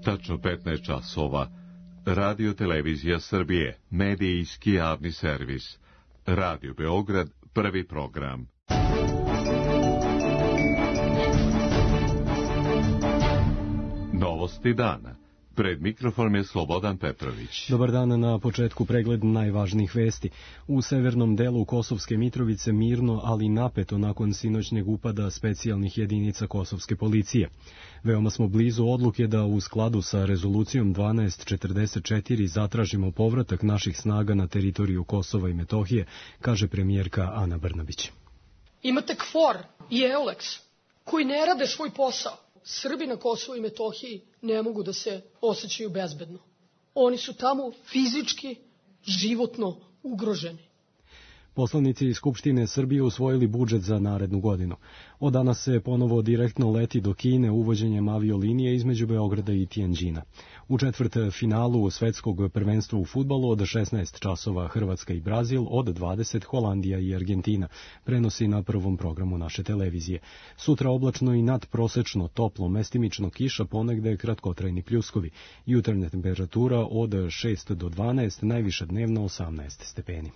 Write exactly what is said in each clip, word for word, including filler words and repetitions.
Tačno petnaest časova. Radio Televizija Srbije, medijski javni servis. Radio Beograd, prvi program. Novosti dana. Pred mikrofonom je Slobodan Petrović. Dobar dan, na početku pregled najvažnijih vesti. U severnom delu Kosovske Mitrovice mirno, ali napeto nakon sinoćnjeg upada specijalnih jedinica kosovske policije. Veoma smo blizu odluke da u skladu sa rezolucijom dvanaest četrdeset četiri zatražimo povratak naših snaga na teritoriju Kosova i Metohije, kaže premijerka Ana Brnabić. Imate KFOR i EULEX koji ne rade svoj posao. Srbi na Kosovu i Metohiji ne mogu da se osjećaju bezbedno. Oni su tamo fizički, životno ugroženi. Poslanici Skupštine Srbije usvojili budžet za narednu godinu. Od danas se ponovo direktno leti do Kine uvođenjem aviolinije između Beograda i Tijanđina. U četvrt finalu svetskog prvenstva u fudbalu od šesnaest časova Hrvatska i Brazil, od dvadeset Holandija i Argentina, prenosi na prvom programu naše televizije. Sutra oblačno i nadprosečno toplo, mestimično kiša, ponegde kratkotrajni pljuskovi. Jutarnja temperatura od šest do dvanaest, najviša dnevno osamnaest stepeni.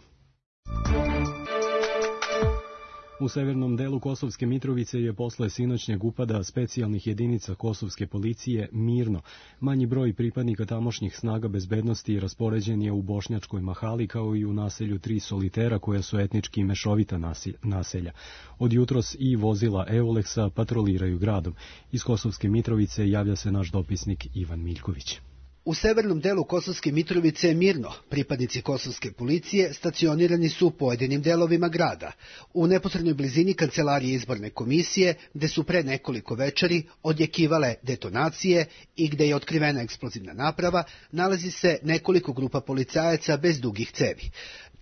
U severnom delu Kosovske Mitrovice je posle sinoćnjeg upada specijalnih jedinica kosovske policije mirno. Manji broj pripadnika tamošnjih snaga bezbednosti raspoređen je u Bošnjačkoj Mahali kao i u naselju Tri Solitera koja su etnički mešovita naselja. Od jutros i vozila EULEX-a patroliraju gradom. Iz Kosovske Mitrovice javlja se naš dopisnik Ivan Miljković. U severnom delu Kosovske Mitrovice je mirno. Pripadnici kosovske policije stacionirani su u pojedinim delovima grada. U neposrednoj blizini kancelarije izborne komisije, gde su pre nekoliko večeri odjekivale detonacije i gde je otkrivena eksplozivna naprava, nalazi se nekoliko grupa policajaca bez dugih cevi.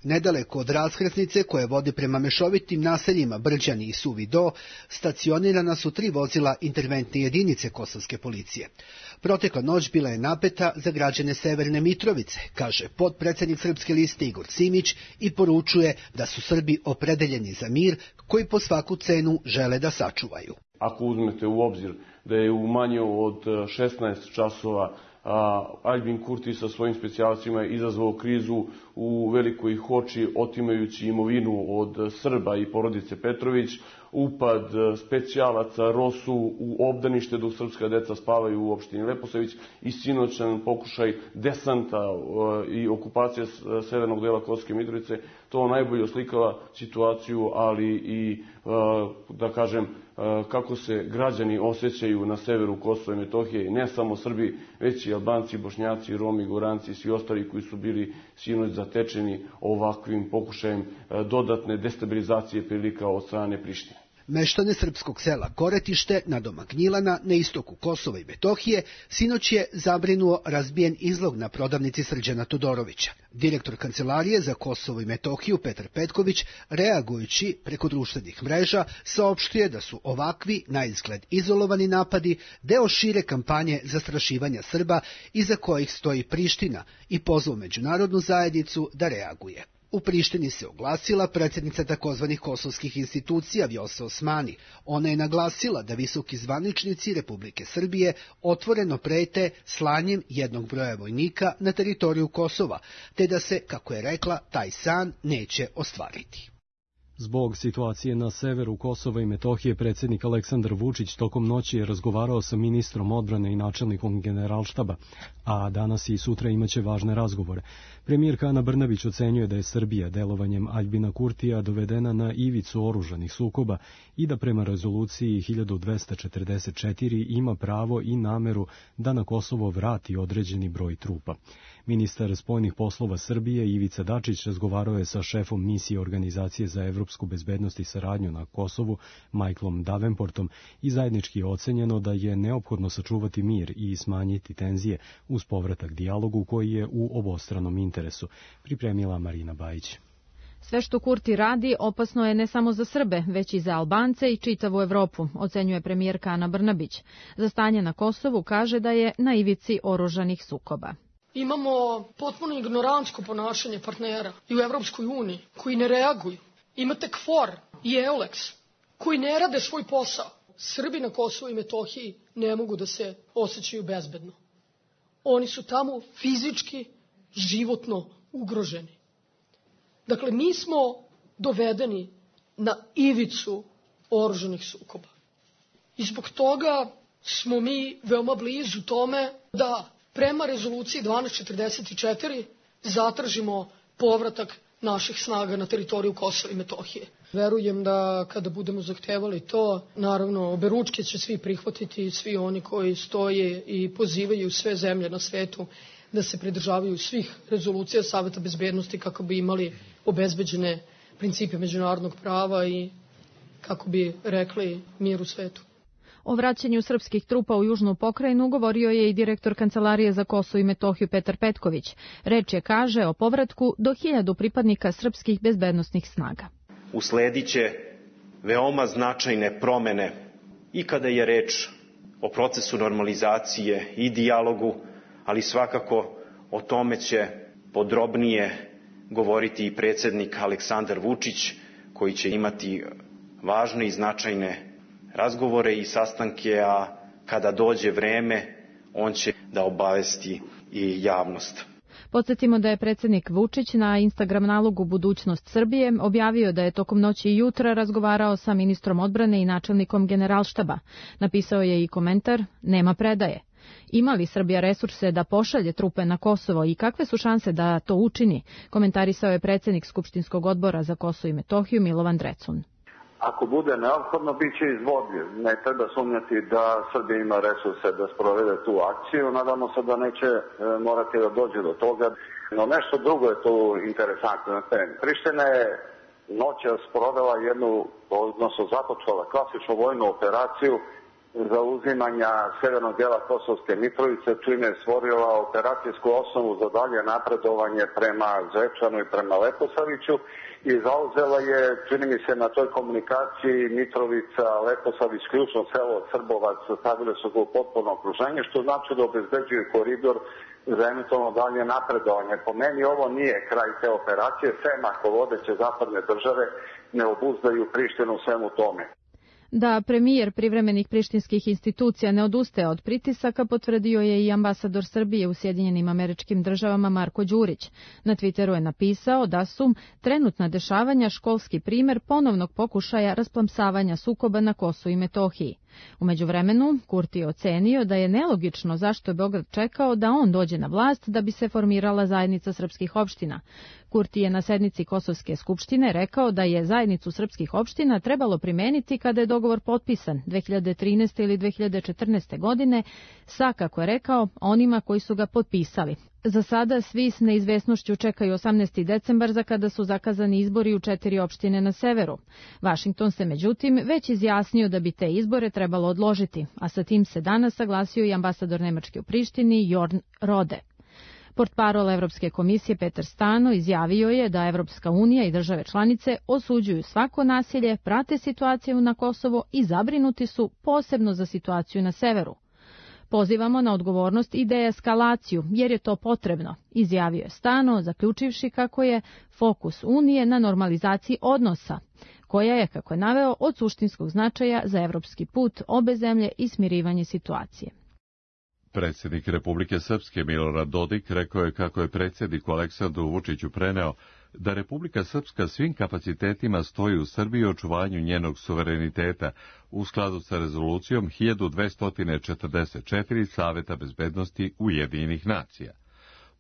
Nedaleko od raskrsnice koje vodi prema mešovitim naseljima Brđani i Suvi Do, stacionirana su tri vozila interventne jedinice kosovske policije. Protekla noć bila je napeta za građane Severne Mitrovice, kaže potpredsednik Srpske liste Igor Simić i poručuje da su Srbi opredeljeni za mir koji po svaku cenu žele da sačuvaju. Ako uzmete u obzir da je u manje od šesnaest časova A Aljbin Kurti sa svojim specijalcima izazvao krizu u Velikoj Hoči, otimajući imovinu od Srba i porodice Petrović, upad specijalaca Rosu u obdanište dok srpska deca spavaju u opštini Leposavić i sinoćan pokušaj desanta i okupacije severnog dela Kosovske Mitrovice, to najbolje oslikava situaciju, ali i, da kažem, kako se građani osjećaju na severu Kosova i Metohije, ne samo Srbi, već i Albanci, Bošnjaci, Romi, Goranci i svi ostali koji su bili sinoć zatečeni ovakvim pokušajem dodatne destabilizacije prilika od strane Prištine. Meštane srpskog sela Koretište na domak Gnjilana na istoku Kosova i Metohije sinoć je zabrinuo razbijen izlog na prodavnici Srđana Todorovića. Direktor Kancelarije za Kosovo i Metohiju Petar Petković, reagujući preko društvenih mreža, saopštuje da su ovakvi, na izgled izolovani napadi, deo šire kampanje zastrašivanja Srba iza kojih stoji Priština i pozvao međunarodnu zajednicu da reaguje. U Prištini se oglasila predsjednica takozvanih kosovskih institucija Vjosa Osmani. Ona je naglasila da visoki zvaničnici Republike Srbije otvoreno prete slanjem jednog broja vojnika na teritoriju Kosova, te da se, kako je rekla, taj san neće ostvariti. Zbog situacije na severu Kosova i Metohije, predsjednik Aleksandar Vučić tokom noći je razgovarao sa ministrom odbrane i načelnikom generalštaba, a danas i sutra imaće važne razgovore. Premijerka Ana Brnabić ocenjuje da je Srbija delovanjem Aljbina Kurtija dovedena na ivicu oružanih sukoba i da prema rezoluciji hiljadu dvesta četrdeset četiri ima pravo i nameru da na Kosovo vrati određeni broj trupa. Ministar spoljnih poslova Srbije Ivica Dačić razgovarao je sa šefom misije Organizacije za evropsku bezbednost i saradnju na Kosovu, Michaelom Davenportom, i zajednički je ocenjeno da je neophodno sačuvati mir i smanjiti tenzije uz povratak dijalogu koji je u obostranom interesu, pripremila Marina Bajić. Sve što Kurti radi opasno je ne samo za Srbe, već i za Albance i čitavu Evropu, ocenjuje premijerka Ana Brnabić. Za stanje na Kosovu kaže da je na ivici oružanih sukoba. Imamo potpuno ignorantsko ponašanje partnera i u Evropskoj uniji koji ne reaguju. Imate KFOR i EULEX koji ne rade svoj posao. Srbi na Kosovu i Metohiji ne mogu da se osjećaju bezbedno. Oni su tamo fizički, životno ugroženi. Dakle, mi smo dovedeni na ivicu oružanih sukoba. I zbog toga smo mi veoma blizu tome da prema rezoluciji dvanaest četrdeset četiri zatražimo povratak naših snaga na teritoriju Kosova i Metohije. Verujem da kada budemo zahtevali to, naravno, oberučke će svi prihvatiti, svi oni koji stoje i pozivaju sve zemlje na svetu da se pridržavaju svih rezolucija Saveta bezbednosti kako bi imali obezbeđene principe međunarodnog prava i kako bi rekli mir u svetu. O vraćanju srpskih trupa u južnu pokrajinu govorio je i direktor Kancelarije za Kosovo i Metohiju Petar Petković. Reč je, kaže, o povratku do hiljadu pripadnika srpskih bezbednosnih snaga. Uslediće veoma značajne promene i kada je reč o procesu normalizacije i dijalogu, ali svakako o tome će podrobnije govoriti i predsjednik Aleksandar Vučić, koji će imati važne i značajne razgovore i sastanke, a kada dođe vreme, on će da obavesti i javnost. Podsjetimo da je predsjednik Vučić na Instagram nalogu Budućnost Srbije objavio da je tokom noći i jutra razgovarao sa ministrom odbrane i načelnikom Generalštaba. Napisao je i komentar: nema predaje. Ima li Srbija resurse da pošalje trupe na Kosovo i kakve su šanse da to učini? Komentarisao je predsjednik Skupštinskog odbora za Kosovo i Metohiju Milovan Drecun. Ako bude neophodno, bit će izvodljiv. Ne treba sumnjati da Srbija ima resurse da sprovede tu akciju. Nadamo se da neće morati da dođe do toga. No nešto drugo je tu interesantno na terenu. Priština je noćas sprovela jednu, odnosno započela klasičnu vojnu operaciju za uzimanja severnog dela Kosovske Mitrovice, čime je stvorila operacijsku osnovu za dalje napredovanje prema Zvečanu i prema Leposaviću i zauzela je, čini mi se, na toj komunikaciji Mitrovica, Leposavić, ključno selo Srbovac, stavile su ga u potpuno okruženje, što znači da obezbeđuje koridor za eventualno dalje napredovanje. Po meni ovo nije kraj te operacije, sem ako vodeće zapadne države ne obuzdaju Prištinu u svemu tome. Da premijer privremenih prištinskih institucija ne odustaje od pritisaka potvrdio je i ambasador Srbije u Sjedinjenim Američkim Državama Marko Đurić. Na Twitteru je napisao da su trenutna dešavanja školski primer ponovnog pokušaja rasplamsavanja sukoba na Kosovu i Metohiji. U međuvremenu, Kurti je ocenio da je nelogično zašto je Beograd čekao da on dođe na vlast da bi se formirala zajednica srpskih opština. Kurti je na sednici Kosovske skupštine rekao da je zajednicu srpskih opština trebalo primeniti kada je dogovor potpisan dve hiljade trinaeste ili dve hiljade četrnaeste. godine sa, kako je rekao, onima koji su ga potpisali. Za sada svi s neizvesnošću čekaju osamnaesti decembar za kada su zakazani izbori u četiri opštine na severu. Vašington se međutim već izjasnio da bi te izbore trebalo odložiti, a sa tim se danas saglasio i ambasador Nemačke u Prištini Jorn Rode. Portparol Evropske komisije Petar Stano izjavio je da Evropska unija i države članice osuđuju svako nasilje, prate situaciju na Kosovo i zabrinuti su posebno za situaciju na severu. Pozivamo na odgovornost i deeskalaciju, jer je to potrebno, izjavio je Stano, zaključivši kako je fokus Unije na normalizaciji odnosa, koja je, kako je naveo, od suštinskog značaja za evropski put obe zemlje i smirivanje situacije. Predsjednik Republike Srpske Milorad Dodik rekao je kako je predsjedniku Aleksandru Vučiću preneo da Republika Srpska svim kapacitetima stoji u Srbiji u očuvanju njenog suvereniteta u skladu sa rezolucijom hiljadu dvesta četrdeset četiri Saveta bezbednosti Ujedinjenih nacija.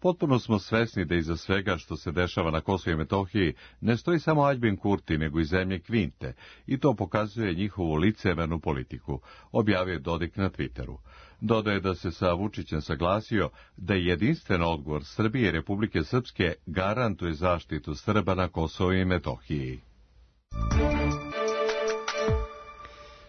Potpuno smo svesni da iza svega što se dešava na Kosovu i Metohiji ne stoji samo Aljbin Kurti, nego i zemlje Kvinte, i to pokazuje njihovu licemernu politiku, objavio je Dodik na Twitteru. Dodaje da se sa Vučićem saglasio da je jedinstven odgovor Srbije i Republike Srpske garantuje zaštitu Srba na Kosovu i Metohiji.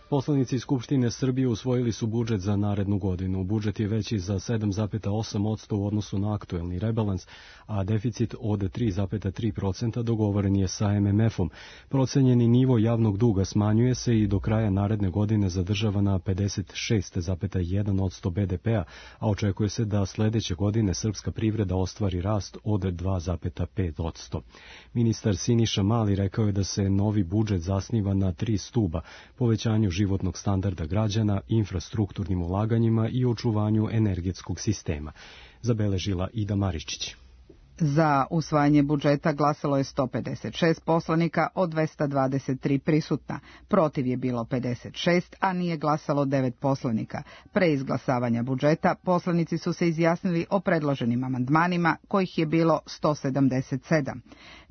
Poslanici Skupštine Srbije usvojili su budžet za narednu godinu. Budžet je veći za sedam zarez osam posto u odnosu na aktuelni rebalans, a deficit od tri zarez tri posto dogovoren je sa em em efom. Procenjeni nivo javnog duga smanjuje se i do kraja naredne godine zadržava na pedeset šest zarez jedan posto be de pea, a očekuje se da sledeće godine srpska privreda ostvari rast od dva zarez pet posto. Ministar Siniša Mali rekao je da se novi budžet zasniva na tri stuba: povećanju životnog standarda građana, infrastrukturnim ulaganjima i očuvanju energetskog sistema, zabeležila Ida Maričić. Za usvajanje budžeta glasalo je sto pedeset šest poslanika od dvesta dvadeset tri prisutna. Protiv je bilo pedeset šest, a nije glasalo devet poslanika. Pre izglasavanja budžeta poslanici su se izjasnili o predloženim amandmanima, kojih je bilo sto sedamdeset sedam.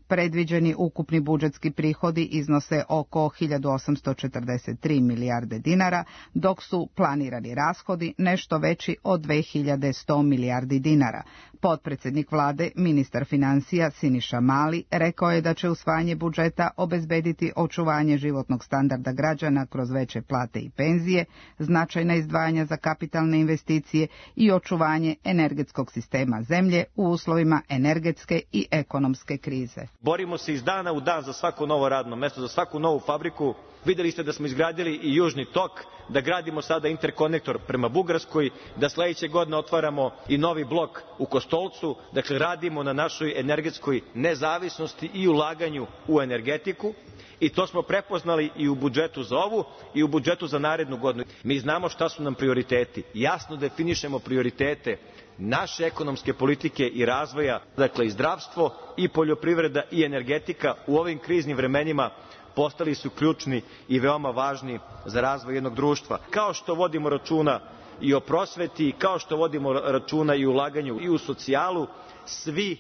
Predviđeni ukupni budžetski prihodi iznose oko hiljadu osamsto četrdeset tri milijarde dinara, dok su planirani rashodi nešto veći od dve hiljade sto milijardi dinara. Potpredsednik vlade, ministar finansija Siniša Mali, rekao je da će usvajanje budžeta obezbediti očuvanje životnog standarda građana kroz veće plate i penzije, značajna izdvajanja za kapitalne investicije i očuvanje energetskog sistema zemlje u uslovima energetske i ekonomske krize. Borimo se iz dana u dan za svako novo radno mesto, za svaku novu fabriku. Videli ste da smo izgradili i Južni tok, da gradimo sada interkonektor prema Bugarskoj, da sledeće godine otvaramo i novi blok u Kostolcu. Dakle, radimo na našoj energetskoj nezavisnosti i ulaganju u energetiku. I to smo prepoznali i u budžetu za ovu i u budžetu za narednu godinu. Mi znamo šta su nam prioriteti. Jasno definišemo prioritete naše ekonomske politike i razvoja, dakle i zdravstvo, i poljoprivreda, i energetika u ovim kriznim vremenima postali su ključni i veoma važni za razvoj jednog društva. Kao što vodimo računa i o prosveti, kao što vodimo računa i o ulaganju i u socijalu, svi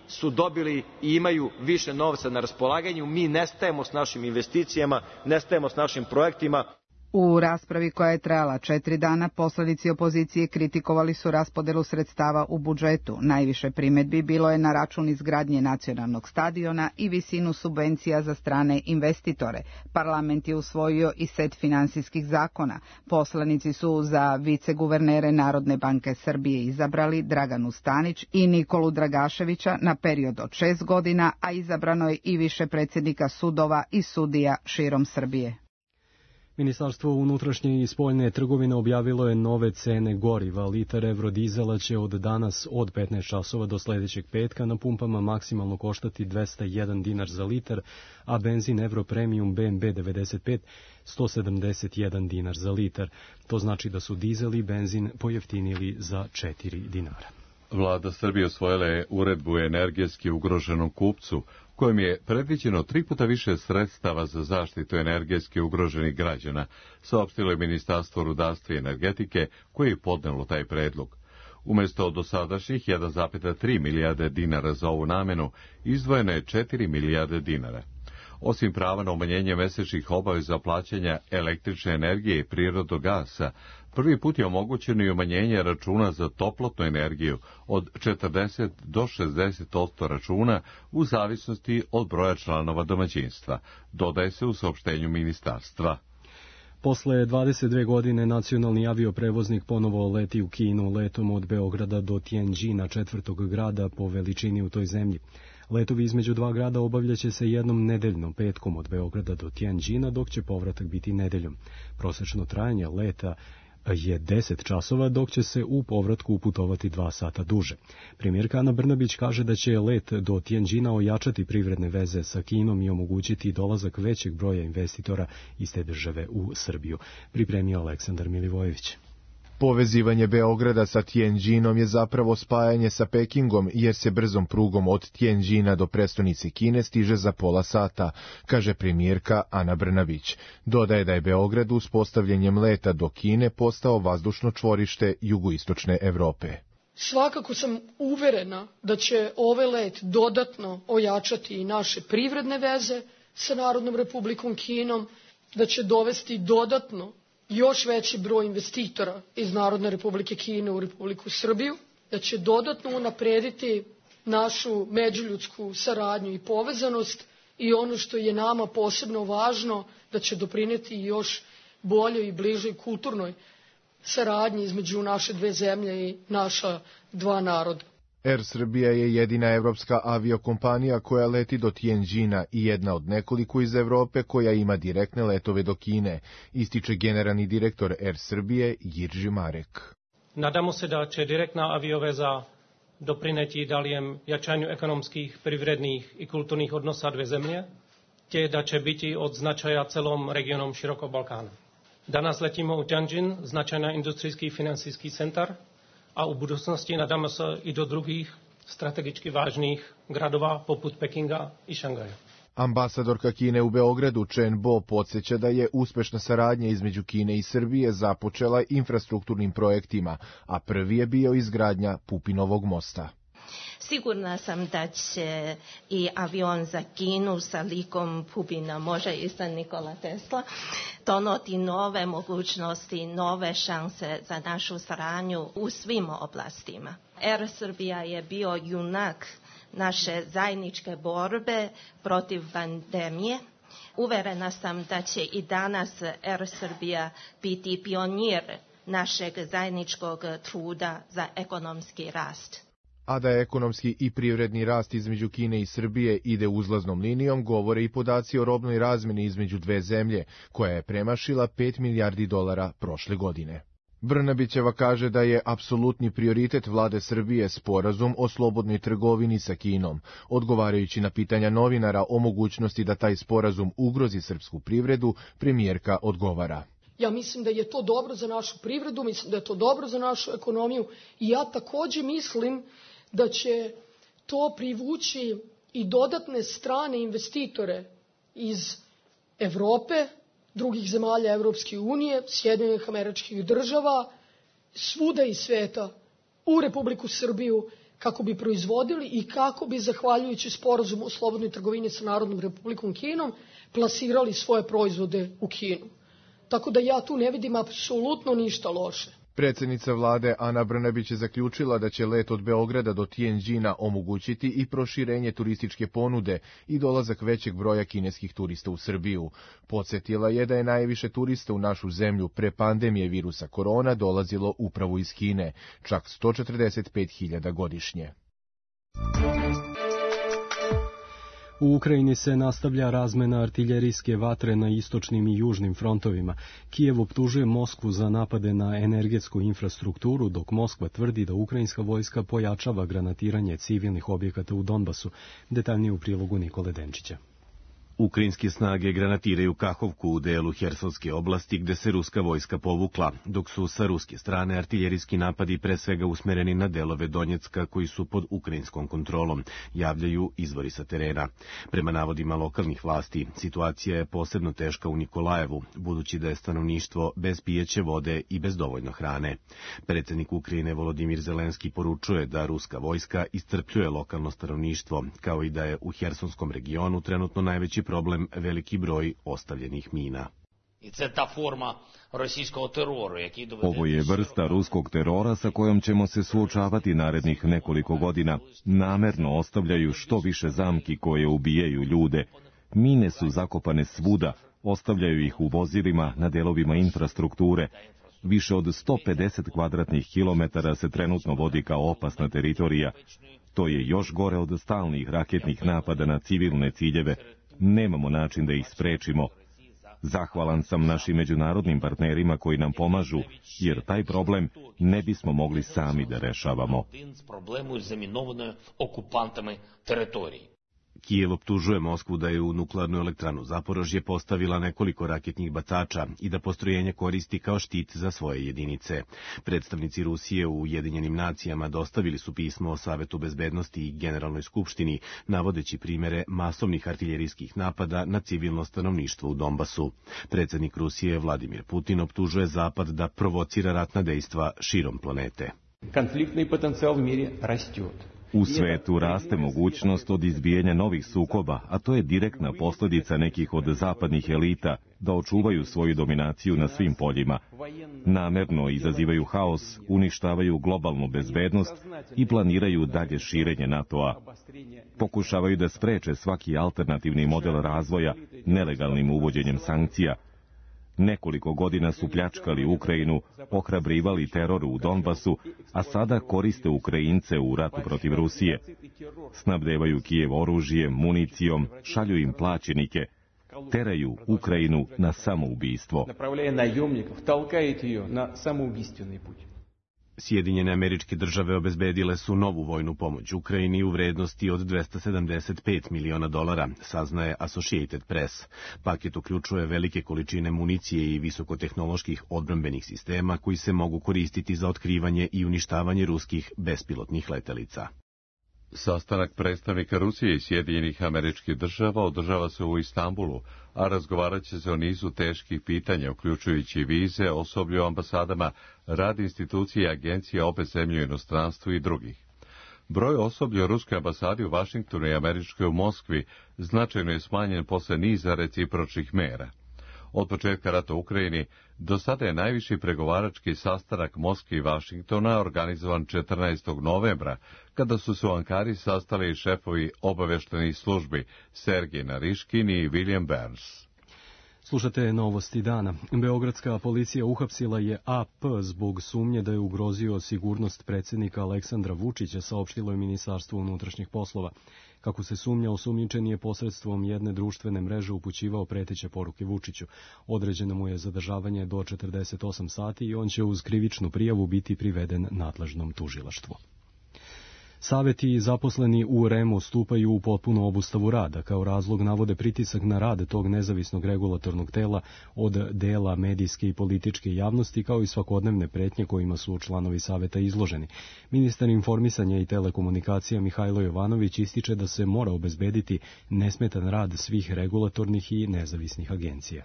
su dobili i imaju više novca na raspolaganju. Mi nestajemo s našim investicijama, nestajemo s našim projektima. U raspravi koja je trajala četiri dana, poslanici opozicije kritikovali su raspodelu sredstava u budžetu. Najviše primedbi bilo je na račun izgradnje nacionalnog stadiona i visinu subvencija za strane investitore. Parlament je usvojio i set finansijskih zakona. Poslanici su za viceguvernere Narodne banke Srbije izabrali Draganu Stanić i Nikolu Dragaševića na period od šest godina, a izabrano je i više predsjednika sudova i sudija širom Srbije. Ministarstvo unutrašnje i spoljne trgovine objavilo je nove cene goriva. Litar evrodizela će od danas od petnaest časova do sledećeg petka na pumpama maksimalno koštati dvesta jedan dinar za litar, a benzin Euro Premium B M B devedeset pet sto sedamdeset jedan dinar za litar. To znači da su dizel i benzin pojeftinili za četiri dinara. Vlada Srbije osvojila je uredbu energetski ugroženom kupcu, kojim je predviđeno tri puta više sredstava za zaštitu energetski ugroženih građana, saopštilo je Ministarstvo rudarstva i energetike, koje je podnelo taj predlog. Umesto dosadašnjih jedan zarez tri milijarde dinara za ovu namenu, izdvojeno je četiri milijarde dinara. Osim prava na umanjenje mesečnih obaveza plaćanja električne energije i prirodnog gasa, prvi put je omogućeno i umanjenje računa za toplotnu energiju od četrdeset do šezdeset posto računa u zavisnosti od broja članova domaćinstva, dodaje se u saopštenju ministarstva. Posle dvadeset dve godine nacionalni avioprevoznik ponovo leti u Kinu letom od Beograda do Tianjina, četvrtog grada po veličini u toj zemlji. Letovi između dva grada obavljaće se jednom nedeljno, petkom od Beograda do Tianjina, dok će povratak biti nedeljom. Prosečno trajanje leta je deset časova, dok će se u povratku uputovati dva sata duže. Premijerka Ana Brnabić kaže da će let do Tianjina ojačati privredne veze sa Kinom i omogućiti dolazak većeg broja investitora iz te države u Srbiju. Pripremio Aleksandar Milivojević. Povezivanje Beograda sa Tianjinom je zapravo spajanje sa Pekingom, jer se brzom prugom od Tianjina do prestonice Kine stiže za pola sata, kaže premijerka Ana Brnabić. Dodaje da je Beograd uspostavljanjem leta do Kine postao vazdušno čvorište jugoistočne Evrope. Svakako sam uverena da će ovaj let dodatno ojačati i naše privredne veze sa Narodnom Republikom Kinom, da će dovesti dodatno još veći broj investitora iz Narodne Republike Kine u Republiku Srbiju, da će dodatno unaprediti našu međuljudsku saradnju i povezanost i ono što je nama posebno važno, da će doprineti još boljoj i bližoj kulturnoj saradnji između naše dve zemlje i naša dva naroda. Air Srbija je jedina evropska aviokompanija koja leti do Tianjina i jedna od nekoliko iz Evrope koja ima direktne letove do Kine, ističe generalni direktor Air Srbije Jirži Marek. Nadamo se da će direktna avioveza doprineti daljem jačanju ekonomskih, privrednih i kulturnih odnosa dve zemlje, te da će biti od značaja celom regionom širokog Balkana. Danas letimo u Tianjin, značajna industrijski i financijski centar, a u budoucnosti nadamo se i do drugih strategički važnih gradova poput Pekinga i Šangaja. Ambasadorka Kine u Beogradu Chen Bo podsjeća da je uspešna saradnja između Kine i Srbije započela infrastrukturnim projektima, a prvi je bio izgradnja Pupinovog mosta. Sigurna sam da će i avion za Kinu sa likom Pupina, može i sa Nikola Tesla, donoti nove mogućnosti, nove šanse za našu saradnju u svim oblastima. Air Srbija je bio junak naše zajedničke borbe protiv pandemije. Uverena sam da će i danas Air Srbija biti pionir našeg zajedničkog truda za ekonomski rast. A da je ekonomski i privredni rast između Kine i Srbije ide uzlaznom linijom, govore i podaci o robnoj razmeni između dve zemlje, koja je premašila pet milijardi dolara prošle godine. Brnabićeva kaže da je apsolutni prioritet vlade Srbije sporazum o slobodnoj trgovini sa Kinom. Odgovarajući na pitanja novinara o mogućnosti da taj sporazum ugrozi srpsku privredu, premijerka odgovara. Ja mislim da je to dobro za našu privredu, mislim da je to dobro za našu ekonomiju i ja takođe mislim da će to privući i dodatne strane investitore iz Evrope, drugih zemalja Evropske unije, Sjedinjenih Američkih Država, svuda iz sveta u Republiku Srbiju kako bi proizvodili i kako bi, zahvaljujući sporazumu o slobodnoj trgovini sa Narodnom Republikom Kinom, plasirali svoje proizvode u Kinu. Tako da ja tu ne vidim apsolutno ništa loše. Predsjednica vlade Ana Brnabić je zaključila da će let od Beograda do Tijenđina omogućiti i proširenje turističke ponude i dolazak većeg broja kineskih turista u Srbiju. Podsjetila je da je najviše turista u našu zemlju pre pandemije virusa korona dolazilo upravo iz Kine, čak sto četrdeset pet hiljada godišnje. U Ukrajini se nastavlja razmena artiljerijske vatre na istočnim i južnim frontovima. Kijev optužuje Moskvu za napade na energetsku infrastrukturu, dok Moskva tvrdi da ukrajinska vojska pojačava granatiranje civilnih objekata u Donbasu. Detaljnije u prilogu Nikole Denčića. Ukrajinske snage granatiraju Kahovku u delu Hersonske oblasti gde se ruska vojska povukla, dok su sa ruske strane artiljerijski napadi pre svega usmereni na delove Donjecka koji su pod ukrajinskom kontrolom, javljaju izvori sa terena. Prema navodima lokalnih vlasti, situacija je posebno teška u Nikolajevu, budući da je stanovništvo bez pijeće vode i bez dovoljno hrane. Predsjednik Ukrajine Volodimir Zelenski poručuje da ruska vojska iscrpljuje lokalno stanovništvo, kao i da je u Hersonskom regionu trenutno najveći problem veliki broj ostavljenih mina. Ovo je vrsta ruskog terora sa kojom ćemo se suočavati narednih nekoliko godina. Namerno ostavljaju što više zamki koje ubijaju ljude. Mine su zakopane svuda, ostavljaju ih u vozilima na delovima infrastrukture. Više od sto pedeset kvadratnih kilometara se trenutno vodi kao opasna teritorija. To je još gore od stalnih raketnih napada na civilne ciljeve. Nemamo način da ih sprečimo. Zahvalan sam našim međunarodnim partnerima koji nam pomažu, jer taj problem ne bismo mogli sami da rešavamo. Kijev optužuje Moskvu da je u nuklearnu elektranu Zaporožje postavila nekoliko raketnih bacača i da postrojenje koristi kao štit za svoje jedinice. Predstavnici Rusije u Ujedinjenim nacijama dostavili su pismo o Savetu bezbednosti i Generalnoj skupštini, navodeći primere masovnih artiljerijskih napada na civilno stanovništvo u Donbasu. Predsjednik Rusije Vladimir Putin optužuje Zapad da provocira ratna dejstva širom planete. Konfliktni potencijal u miri raste. U svetu raste mogućnost od izbijanja novih sukoba, a to je direktna posljedica nekih od zapadnih elita da očuvaju svoju dominaciju na svim poljima. Namerno izazivaju haos, uništavaju globalnu bezbednost i planiraju dalje širenje NATO-a. Pokušavaju da spreče svaki alternativni model razvoja nelegalnim uvođenjem sankcija. Nekoliko godina su pljačkali Ukrajinu, ohrabrivali teror u Donbasu, a sada koriste Ukrajince u ratu protiv Rusije. Snabdevaju Kijev oružjem, municijom, šalju im plaćenike, teraju Ukrajinu na samoubistvo. Sjedinjene Američke Države obezbedile su novu vojnu pomoć Ukrajini u vrednosti od dvesta sedamdeset pet miliona dolara, saznaje Associated Press. Paket uključuje velike količine municije i visokotehnoloških odbrambenih sistema koji se mogu koristiti za otkrivanje i uništavanje ruskih bespilotnih letelica. Sastanak predstavnika Rusije i Sjedinjenih Američkih Država održava se u Istanbulu, a razgovarat će se o nizu teških pitanja, uključujući vize, osoblje u ambasadama, rad institucije i agencije obe zemlje u inostranstvu i drugih. Broj osoblja u Ruskoj ambasadi u Vašingtonu i Američkoj u Moskvi značajno je smanjen posle niza recipročnih mera. Od početka rata u Ukrajini do sada je najviši pregovarački sastanak Moskve i Vašingtona organizovan četrnaestog novembra, kada su se u Ankari sastali šefovi obaveštenih službi Sergej Nariškin i William Burns. Slušate novosti dana. Beogradska policija uhapsila je A P zbog sumnje da je ugrozio sigurnost predsjednika Aleksandra Vučića, saopštilo je Ministarstvo unutrašnjih poslova. Kako se sumnja, osumnjičeni je posredstvom jedne društvene mreže upućivao preteće poruke Vučiću. Određeno mu je zadržavanje do četrdeset osam sati i on će uz krivičnu prijavu biti priveden nadležnom tužilaštvu. Saveti i zaposleni u R E M-u stupaju u potpunu obustavu rada. Kao razlog navode pritisak na rad tog nezavisnog regulatornog tela od dela medijske i političke javnosti, kao i svakodnevne pretnje kojima su članovi saveta izloženi. Ministar informisanja i telekomunikacija Mihajlo Jovanović ističe da se mora obezbediti nesmetan rad svih regulatornih i nezavisnih agencija.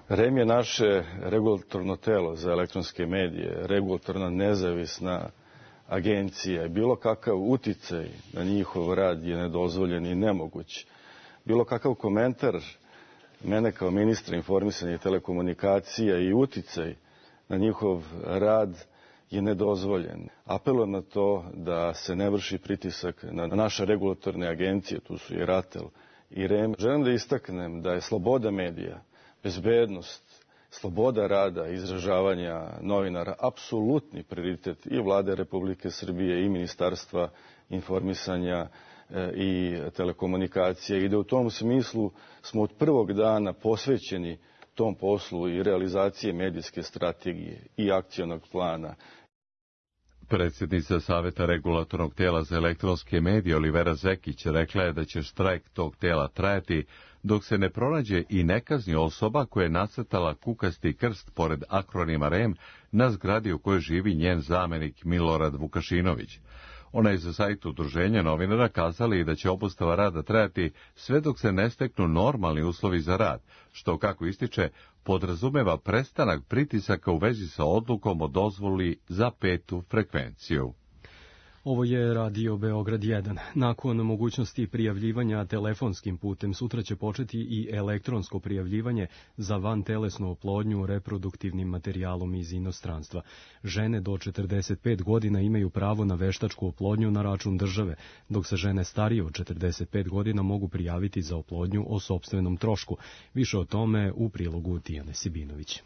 R E M je naše regulatorno telo za elektronske medije, regulatorna nezavisna agencija. Bilo kakav uticaj na njihov rad je nedozvoljen i nemoguć. Bilo kakav komentar mene kao ministra informisanja i telekomunikacija i uticaj na njihov rad je nedozvoljen. Apelujem na to da se ne vrši pritisak na naše regulatorne agencije, tu su i RATEL i R E M. Želim da istaknem da je sloboda medija, bezbednost, sloboda rada i izražavanja novinara apsolutni prioritet i Vlade Republike Srbije i Ministarstva informisanja i telekomunikacije i da u tom smislu smo od prvog dana posvećeni tom poslu i realizacije medijske strategije i akcionog plana. Predsjednica Saveta regulatornog tela za elektronske medije Olivera Zekić rekla je da će štrajk tog tela trajati dok se ne pronađe i ne kazni osoba koja je nacrtala kukasti krst pored akronima R E M na zgradi u kojoj živi njen zamenik Milorad Vukašinović. Ona je za sajt udruženja novinara kazala i da će obustava rada trajati sve dok se ne steknu normalni uslovi za rad, što, kako ističe, podrazumeva prestanak pritisaka u vezi sa odlukom o dozvoli za petu frekvenciju. Ovo je Radio Beograd jedan. Nakon mogućnosti prijavljivanja telefonskim putem, sutra će početi i elektronsko prijavljivanje za vantelesnu oplodnju reproduktivnim materijalom iz inostranstva. Žene do četrdeset pet godina imaju pravo na veštačku oplodnju na račun države, dok se žene starije od četrdeset pet godina mogu prijaviti za oplodnju o sopstvenom trošku. Više o tome u prilogu Tijane Sibinović.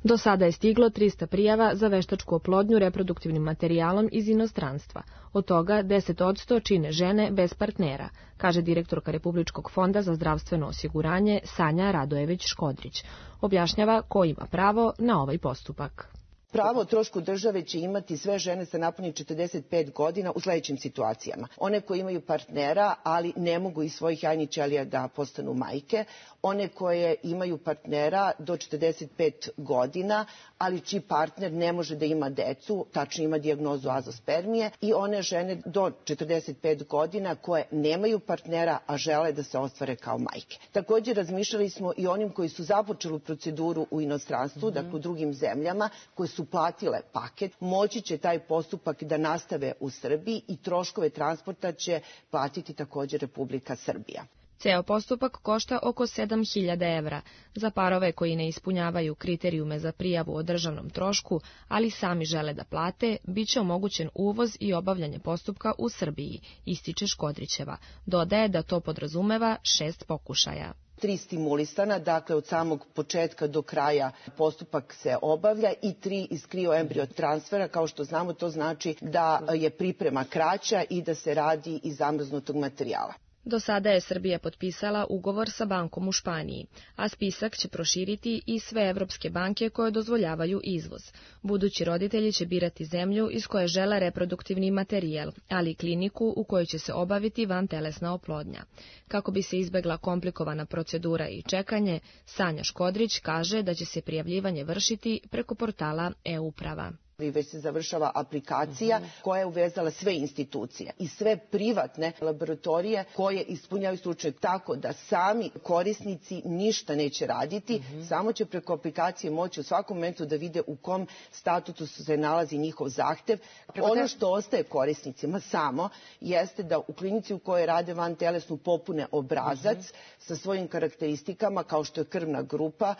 Do sada je stiglo trista prijava za veštačku oplodnju reproduktivnim materijalom iz inostranstva. Od toga deset posto čine žene bez partnera, kaže direktorka Republičkog fonda za zdravstveno osiguranje Sanja Radojević-Škodrić. Objašnjava ko ima pravo na ovaj postupak. Pravo o trošku države će imati sve žene sa napunjenih četrdeset pet godina u sledećim situacijama. One koje imaju partnera, ali ne mogu iz svojih jajnih ćelija da postanu majke. One koje imaju partnera do četrdeset pet godina, ali čiji partner ne može da ima decu, tačno ima dijagnozu azospermije. I one žene do četrdeset pet godina koje nemaju partnera, a žele da se ostvare kao majke. Također razmišljali smo i onim koji su započeli proceduru u inostranstvu, mm-hmm. dakle u drugim zemljama, koje su platile paket, moći će taj postupak da nastave u Srbiji i troškove transporta će platiti također Republika Srbija. Ceo postupak košta oko sedam hiljada evra. Za parove koji ne ispunjavaju kriterijume za prijavu o državnom trošku, ali sami žele da plate, bit će omogućen uvoz i obavljanje postupka u Srbiji, ističe Škodrićeva. Dodaje da to podrazumeva šest pokušaja. Tri stimulisana, dakle od samog početka do kraja postupak se obavlja i tri iz krioembrio transfera. Kao što znamo, to znači da je priprema kraća i da se radi iz zamrznutog materijala. Do sada je Srbija potpisala ugovor sa bankom u Španiji, a spisak će proširiti i sve evropske banke koje dozvoljavaju izvoz. Budući roditelji će birati zemlju iz koje žele reproduktivni materijal, ali i kliniku u kojoj će se obaviti vantelesna oplodnja. Kako bi se izbegla komplikovana procedura i čekanje, Sanja Škodrić kaže da će se prijavljivanje vršiti preko portala e-uprava. Već se završava aplikacija koja je uvezala sve institucije i sve privatne laboratorije koje ispunjavaju slučaj, tako da sami korisnici ništa neće raditi, samo će preko aplikacije moći u svakom momentu da vide u kom statusu se nalazi njihov zahtev. Ono što ostaje korisnicima samo jeste da u klinici u kojoj rade vantelesnu popune obrazac sa svojim karakteristikama kao što je krvna grupa,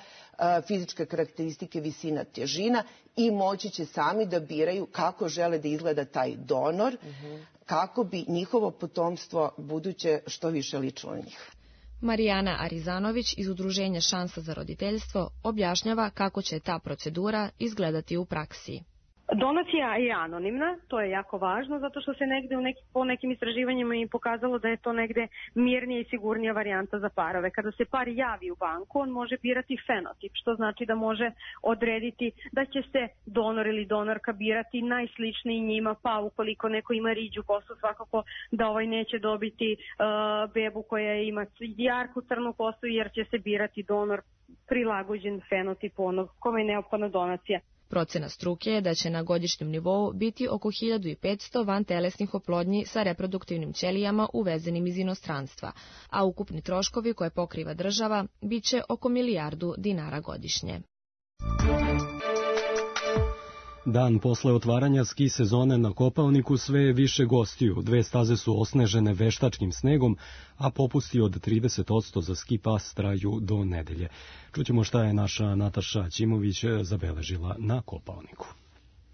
fizičke karakteristike, visina, težina i moći će sami da biraju kako žele da izgleda taj donor, kako bi njihovo potomstvo buduće što više ličilo na njih. Marijana Arizanović iz Udruženja Šansa za roditeljstvo objašnjava kako će ta procedura izgledati u praksi. Donacija je anonimna, to je jako važno, zato što se negde u neki, po nekim istraživanjima i pokazalo da je to negde mirnija i sigurnija varijanta za parove. Kada se par javi u banku, on može birati fenotip, što znači da može odrediti da će se donor ili donorka birati najsličniji njima, pa ukoliko neko ima riđu kosu, svakako da ovaj neće dobiti uh, bebu koja ima jarku crnu kosu, jer će se birati donor prilagođen fenotipu onog kome je neophodna donacija. Procena struke je da će na godišnjem nivou biti oko hiljadu petsto vantelesnih oplodnji sa reproduktivnim ćelijama uvezenim iz inostranstva, a ukupni troškovi koje pokriva država biće oko milijardu dinara godišnje. Dan posle otvaranja ski sezone na Kopaoniku sve je više gostiju. Dve staze su osnežene veštačkim snegom, a popusti od trideset posto za ski pas traju do nedelje. Čućemo šta je naša Nataša Ćimović zabeležila na Kopaoniku.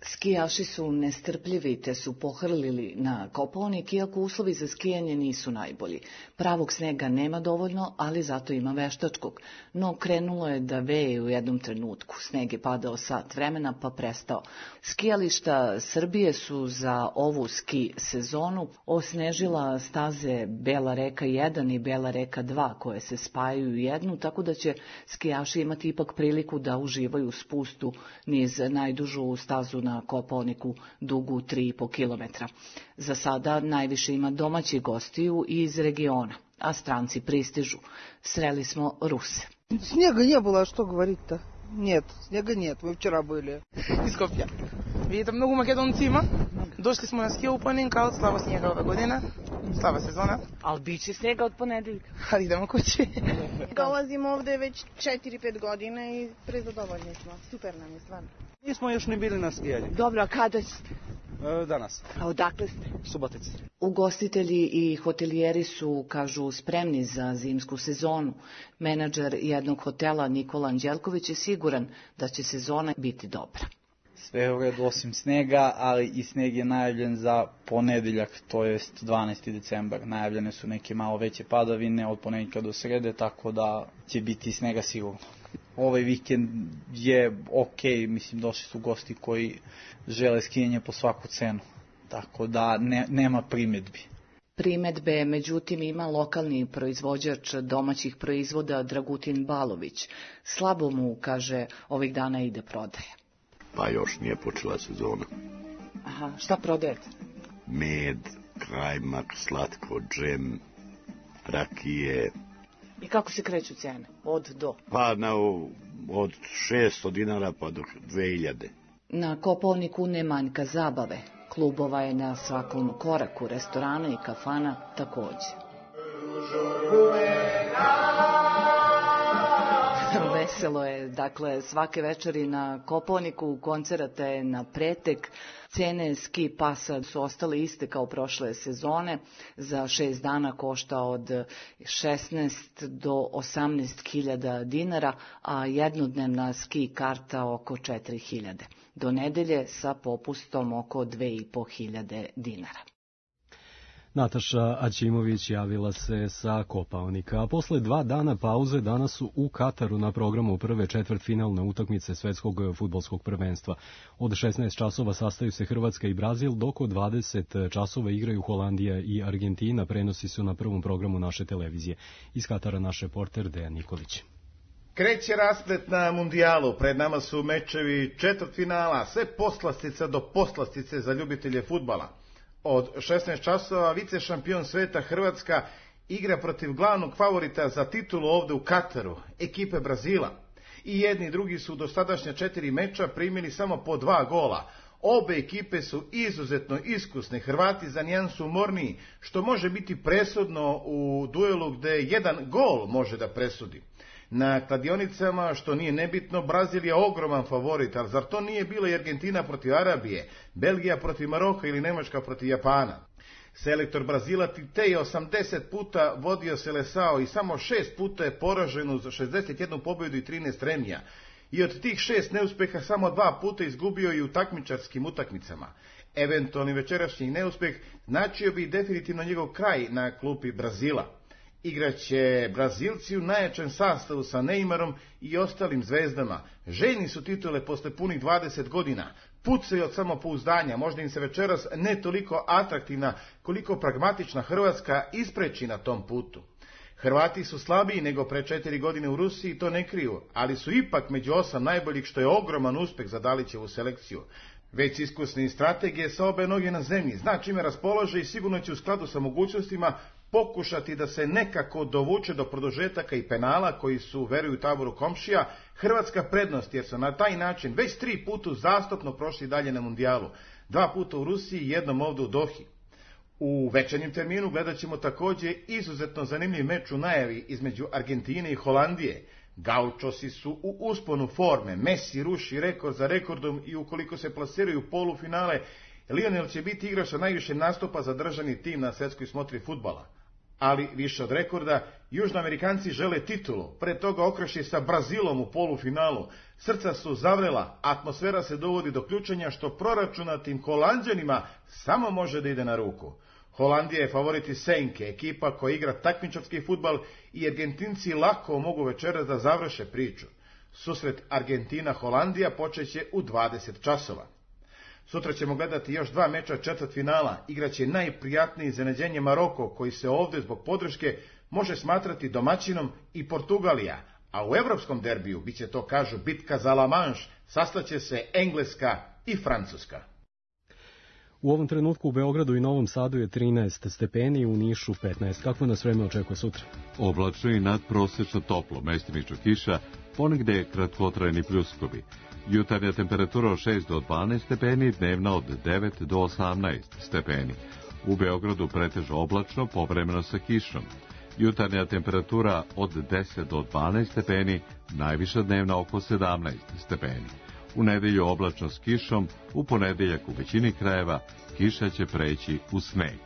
Skijaši su nestrpljivi te su pohrlili na Kopaonik, iako uslovi za skijanje nisu najbolji. Pravog snega nema dovoljno, ali zato ima veštačkog. No krenulo je da veje u jednom trenutku. Sneg je padao sat vremena pa prestao. Skijališta Srbije su za ovu ski sezonu osnežila staze Bela reka jedan i Bela reka dva koje se spajaju u jednu, tako da će skijaši imati ipak priliku da uživaju spustu niz najdužu stazu na na Kopaoniku dugu tri i po kilometra. Za sada najviše ima domaćih gostiju iz regiona, a stranci pristižu. Sreli smo Ruse. Snega не было, что говорить-то? Нет, снега нет, мы вчера были. Из Скопья. Видите, много македонци има. Дошли smo na ski opening, ali slaba snijega ove godine. Slaba sezona. Ali bit će snega od ponedeljka. Ali idemo kući. Dolazimo ovde već četiri pet godina i prezadovoljni smo. Super nam je stvarno. Nismo još ni bili na skijanju. Dobro, a kada ste? E, danas. A odakle ste? Subotic. Ugostitelji i hotelijeri su, kažu, spremni za zimsku sezonu. Menadžer jednog hotela Nikola Anđelković je siguran da će sezona biti dobra. Sve je u redu osim snega, ali i sneg je najavljen za ponedeljak, to jest dvanaesti decembar. Najavljene su neke malo veće padavine od ponedjeljka do srede, tako da će biti snega sigurno. Ovaj vikend je ok, mislim došli su gosti koji žele skijanje po svaku cenu, tako da ne, nema primjedbi. Primedbe, međutim, ima lokalni proizvođač domaćih proizvoda Dragutin Balović. Slabo mu, kaže, ovih dana ide prodaja. Pa još nije počela sezona. Aha, šta prodajete? Med, kajmak, slatko, džem, rakije. I kako se kreću cene? Od do? Pa na, od šesto dinara pa do dve hiljade. Na Kopaoniku ne manjka zabave. Klubova je na svakom koraku, restorana i kafana takođe. Veselo je, dakle, svake večeri na Kopaoniku, koncerata je na pretek. Cene ski pasa su ostale iste kao prošle sezone. Za šest dana košta od šesnaest do osamnaest hiljada dinara, a jednodnevna ski karta oko četiri hiljade. Do nedelje sa popustom oko dve i po hiljade dinara. Nataša Aćimović javila se sa Kopaonika, a posle dva dana pauze danas su u Kataru na programu prve četvrtfinalne utakmice svetskog fudbalskog prvenstva. Od šesnaest časova sastaju se Hrvatska i Brazil, dok od dvadeset časova igraju Holandija i Argentina, prenosi su na prvom programu naše televizije. Iz Katara naš reporter Dejan Nikolić. Kreće rasplet na mundijalu, pred nama su mečevi četvrtfinala, sve poslastica do poslastice za ljubitelje fudbala. Od šesnaest časova vice šampion sveta Hrvatska igra protiv glavnog favorita za titulu ovde u Kataru, ekipe Brazila. I jedni i drugi su do sadašnja četiri meča primili samo po dva gola. Obe ekipe su izuzetno iskusne, Hrvati za nijansu umorniji, što može biti presudno u duelu gde jedan gol može da presudi. Na kladionicama, što nije nebitno, Brazil je ogroman favorit, ali zar to nije bila i Argentina protiv Arabije, Belgija protiv Maroka ili Nemačka protiv Japana? Selektor Brazila Tite je osamdeset puta vodio Seleção i samo šest puta je poražen uz šezdeset jednu pobedu i trinaest remija. I od tih šest neuspeha samo dva puta izgubio i u takmičarskim utakmicama. Eventualni večerašnji neuspeh značio bi definitivno njegov kraj na klupi Brazila. Igraće Brazilci u najjačem sastavu sa Neymarom i ostalim zvezdama. Željni su titule posle punih dvadeset godina. Pucaju od samopouzdanja, možda im se večeras ne toliko atraktivna koliko pragmatična Hrvatska ispreči na tom putu. Hrvati su slabiji nego pre četiri godine u Rusiji, to ne kriju, ali su ipak među osam najboljih, što je ogroman uspeh za Dalićevu selekciju. Već iskusni strategije sa obe noge na zemlji, zna čime raspolože i sigurno će u skladu sa mogućnostima pokušati da se nekako dovuče do produžetaka i penala koji su, veruju taboru komšija, hrvatska prednost, jer su na taj način već tri puta uzastopno prošli dalje na mundijalu. Dva puta u Rusiji i jednom ovde u Dohi. U večernjem terminu gledat ćemo takođe izuzetno zanimljiv meč u najavi između Argentine i Holandije. Gaučosi su u usponu forme, Messi ruši rekord za rekordom i ukoliko se plasiraju u polufinale, Lionel će biti igrač sa najviše nastupa za državni tim na svetskoj smotri fudbala. Ali više od rekorda, Južnoamerikanci žele titulu, pre toga okrši sa Brazilom u polufinalu. Srca su zavrela, atmosfera se dovodi do ključenja, što proračunatim Holanđanima samo može da ide na ruku. Holandija je favorit iz senke, ekipa koja igra takmičarski fudbal i Argentinci lako mogu večeras da završe priču. Susret Argentina-Holandija počeće u dvadeset časova. Sutra ćemo gledati još dva meča četvrtfinala, igraće najprijatnije iznenađenje Maroko, koji se ovde zbog podrške može smatrati domaćinom, i Portugalija, a u evropskom derbiju biće to, kažu, bitka za La Manche, sastaće se Engleska i Francuska. U ovom trenutku u Beogradu i Novom Sadu je trinaest stepeni, u Nišu petnaest. Kako nas vreme očekuje sutra? Oblačno i nadprosečno toplo, mestimično kiša, ponegde kratkotrajni pljuskovi. Jutarnja temperatura od šest do dvanaest stepeni, dnevna od devet do osamnaest stepeni. U Beogradu pretežno oblačno, povremeno sa kišom. Jutarnja temperatura od deset do dvanaest stepeni, najviša dnevna oko sedamnaest stepeni. U nedelju oblačno s kišom, u ponedeljak u većini krajeva kiša će preći u sneg.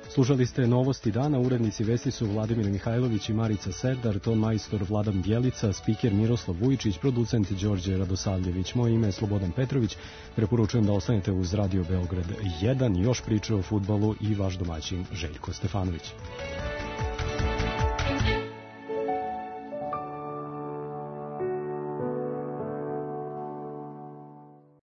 Slušali ste novosti dana, urednici vesti su Vladimir Mihajlović i Marica Serdar, ton majstor Vladan Bjelica, spiker Miroslav Vujičić, producent Đorđe Radosavljević. Moje ime je Slobodan Petrović, preporučujem da ostanete uz Radio Beograd jedan, još priče o fudbalu i vaš domaćin Željko Stefanović.